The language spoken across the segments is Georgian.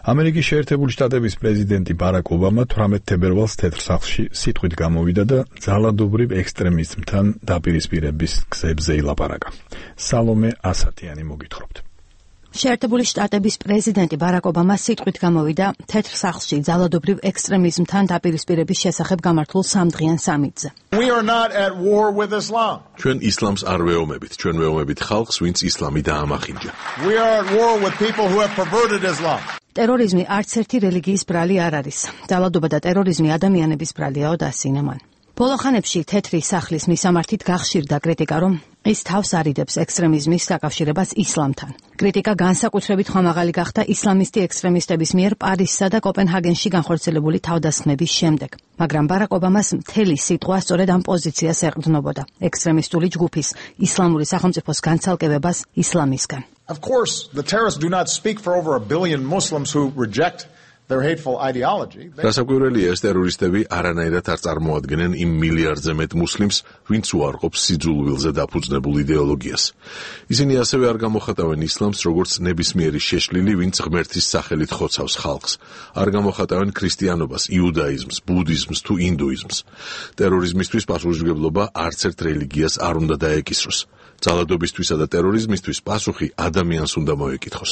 ამერიკის შეერთებული შტატების პრეზიდენტი ბარაკ ობამა 18 თებერვალს თეთრ სახლში სიტყვით გამოვიდა და ძალადობრივ ექსტრემიზმთან დაპირისპირების გზებზე ილაპარაკა. სალომე ასათიანი მოგითხრობთ. შეერთებული შტატების პრეზიდენტი ბარაკ ობამა სიტყვით გამოვიდა თეთრ სახლში ძალადობრივ ექსტრემიზმთან დაპირისპირების შესახებ გამართულ სამდღიან სამიტზე. ჩვენ ისლამს არ ვეომებით, ჩვენ ვეომებით ხალხს, ვინც ისლამი დაამახინჯა. ტერორიზმი არც ერთი რელიგიის ბრალი არ არის. ძალადობა და ტერორიზმი ადამიანების ბრალიაო დასინა მან. ბოლო ხანებში თეთრი სახლის მისამართით გახშირდა კრიტიკა, რომ ის თავს არიდებს ექსტრემიზმის დაკავშირებას ისლამთან. კრიტიკა განსაკუთრებით ხმამაღალი გახდა ისლამისტი ექსტრემისტების მიერ პარიზსა და კოპენჰაგენში განხორციელებული თავდასხმების შემდეგ. მაგრამ ბარაკ ობამას მთელი სიტყვა სწორედ ამ პოზიციას ეყრდნობოდა ექსტრემისტული ჯგუფის ისლამური სახელმწიფოს განცალკევებას ისლამისგან. Of course, the terrorists do not speak for over 1 billion Muslims who reject their hateful ideology. Დასაკვირველია, ეს ტერორისტები არანაირად არ წარმოადგენენ იმ მილიარდზე მეტ მუსლიმს, ვინც უარყოფს სიძულვილზე დაფუძნებულ იდეოლოგიას. ისინი ასევე არ გამოხატავენ ისლამს, როგორც ნებისმიერი შეშლილი, ვინც ღმერთის სახელით ხოცავს ხალხს. არ გამოხატავენ ქრისტიანობას, იუდაიზმს, ბუდიზმს თუ ინდუიზმს. ტერორიზმისთვის პასუხისმგებლობა არც ერთ რელიგიას არ უნდა დაეკისროს. ძალადობისთვისა და ტერორიზმისთვის პასუხი ადამიანს უნდა მოეკითხოს.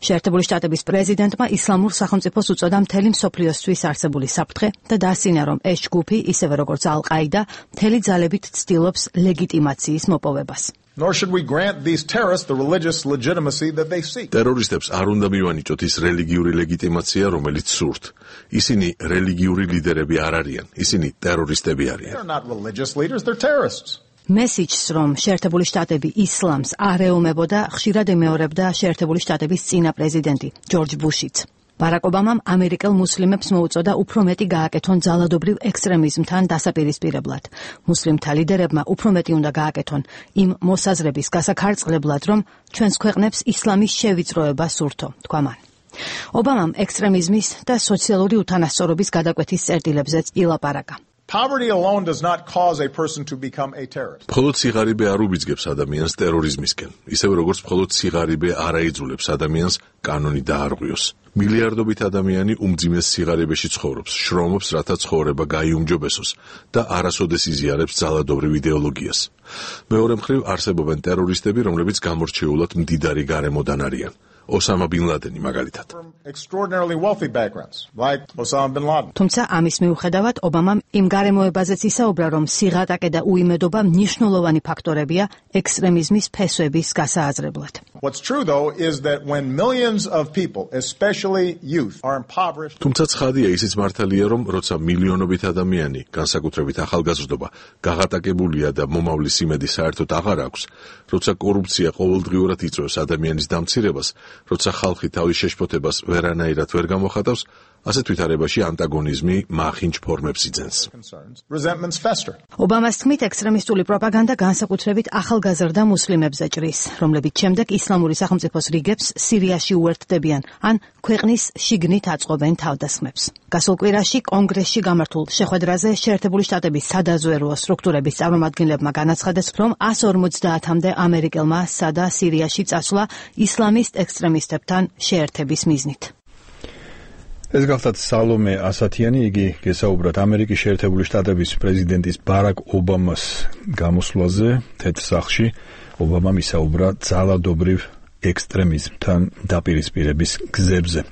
შეერთებული შტატების პრეზიდენტმა ისლამურ სახელმწიფოს უწოდა მთელი მსოფლიოსთვის არსებული საფრთხე და დასინა, რომ ეს ჯგუფი, ისევე როგორც ალ-ყაიდა, მთელი ძალებით ცდილობს ლეგიტიმაციის მოპოვებას. Nor should we grant these terrorists the religious legitimacy that they seek. ტერორისტებს არ უნდა მივანიჭოთ ის რელიგიური ლეგიტიმაცია, რომელიც სურთ. ისინი რელიგიური ლიდერები არ არიან, ისინი ტერორისტები არიან. They're not religious leaders, they're terrorists. მესიჯს, რომ შეერთებული შტატები ისლამს არ ეომებოდა, ხშირად ემეორებდა შეერთებული შტატების წინა პრეზიდენტი ჯორჯ ბუშიც. ბარაკ ობამამ ამერიკელ მუსლიმებს მოუწოდა უფრო მეტი გააკეთონ ძალადობრივ ექსტრემიზმთან დასაპირისპირებლად. მუსლიმთა ლიდერებმა უფრო მეტი უნდა გააკეთონ იმ მოსაზრების გასაქარწყლებლად, რომ ჩვენს ქვეყნებს ისლამის შევიწროება სურთო, თქვა მან. ობამამ ექსტრემიზმის და სოციალური უთანასწორობის გადაკვეთის წერტილებზეც ილაპარაკა. Poverty alone does not cause a person to become a terrorist. მხოლოდ სიღარიბე არ უბიძგებს ადამიანს ტერორიზმისკენ, ისევე როგორც მხოლოდ სიღარიბე არ აიძულებს ადამიანს კანონი დაარღვიოს. მილიარდობით ადამიანი უმძიმეს სიღარიბეში ცხოვრობს, შრომობს, რათა ცხოვრება გაიუმჯობესოს და არასოდეს იზიარებს ძალადობრივ იდეოლოგიას. მეორე მხრივ არსებობენ ტერორისტები, რომლებიც გამორჩეულად მდიდარი გარემოდან არიან. ოსამა ბინ ლადენი მაგალითად. თუმცა ამის მიუხედავად ობამამ იმ გარემოებაზეც ისაუბრა, რომ სიღატაკე და უიმედობა მნიშვნელოვანი ფაქტორებია ექსტრემიზმის ფესვების გასააზრებლად. თუმცა ცხადია ისიც მართალია, რომ როცა მილიონობით ადამიანი, განსაკუთრებით ახალგაზრდობა, გაღატაკებულია და მომავლის იმედი საერთოდ აღარ აქვს, როცა კორუფცია ყოველდღიურად იწვევს ადამიანის დამცირებას, როცა ხალხი თავის შეშფოთებას ვერანაირად ვერ გამოხატავს, ასეთ ვითარებაში ანტაგონიზმი მახინჯ ფორმებს იძენს. ობამას თქმით, ექსტრემისტული პროპაგანდა განსაკუთრებით ახალგაზრდა მუსლიმებზე ჭრის, რომლებიც შემდეგ ისლამური სახელმწიფოს რიგებს სირიაში უერთდებიან, ან ქვეყნის შიგნით აწყობენ თავდასხმებს. გასულ კვირაში კონგრესში გამართულ შეხვედრაზე შეერთებული შტატების სადაზვერვო სტრუქტურების წარმომადგენლებმა განაცხადეს, რომ 150-მდე ამერიკელმა სადა სირიაში წასვლა ისლამისტ ექსტრემისტებთან შეერთების მიზნით. ეს გახლავთ სალომე ასათიანი, იგი გესაუბრათ ამერიკის შეერთებული შტატების პრეზიდენტის ბარაკ ობამას გამოსვლაზე თეთრ სახლში. ობამამ ისაუბრა ძალადობრივ ექსტრემიზმთან დაპირისპირების გზებზე.